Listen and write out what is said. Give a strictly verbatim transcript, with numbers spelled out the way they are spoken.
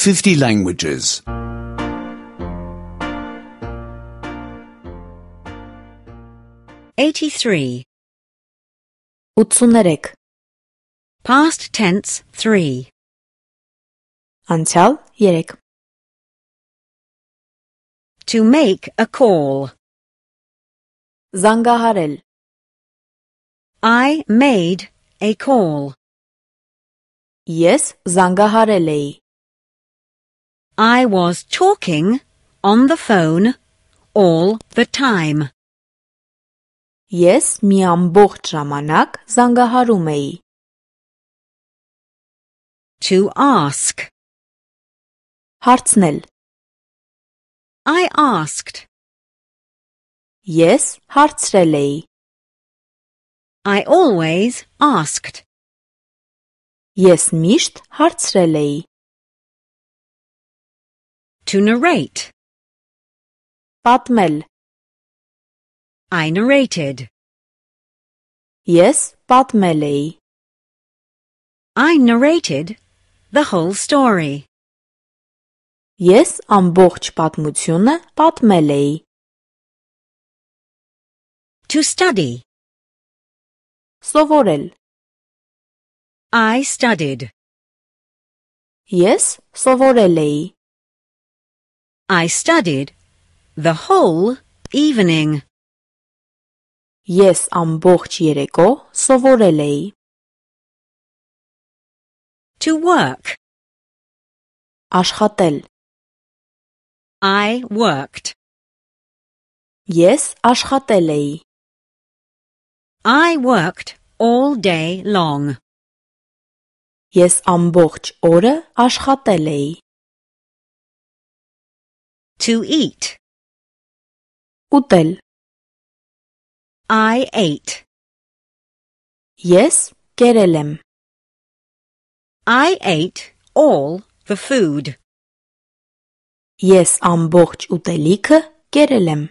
fifty languages. eighty-three. ութսուներեք. Past tense three. Անցյալ երեք. To make a call. Զանգահարել. I made a call. Ես զանգահարել էի. I was talking on the phone all the time. Ես մի ամբողջ ժամանակ զանգահարում էի. To ask. Հարցնել. I asked. Ես հարցրել էի. I always asked. Ես միշտ հարցրել էի. To narrate. Պատմել. I narrated. Ես պատմել էի. I narrated the whole story. Ես ամբողջ պատմությունը պատմել էի. To study. Սովորել. I studied. Ես սովորել էի. I studied the whole evening. Ես ամբողջ երեկո սովորել էի. To work. Աշխատել. I worked. Ես աշխատել էի. I worked all day long. Ես ամբողջ օրը աշխատել էի. To eat. Ուտել. I ate. Ես կերել եմ. I ate all the food. Ես ամբողջ ուտելիքը կերել եմ.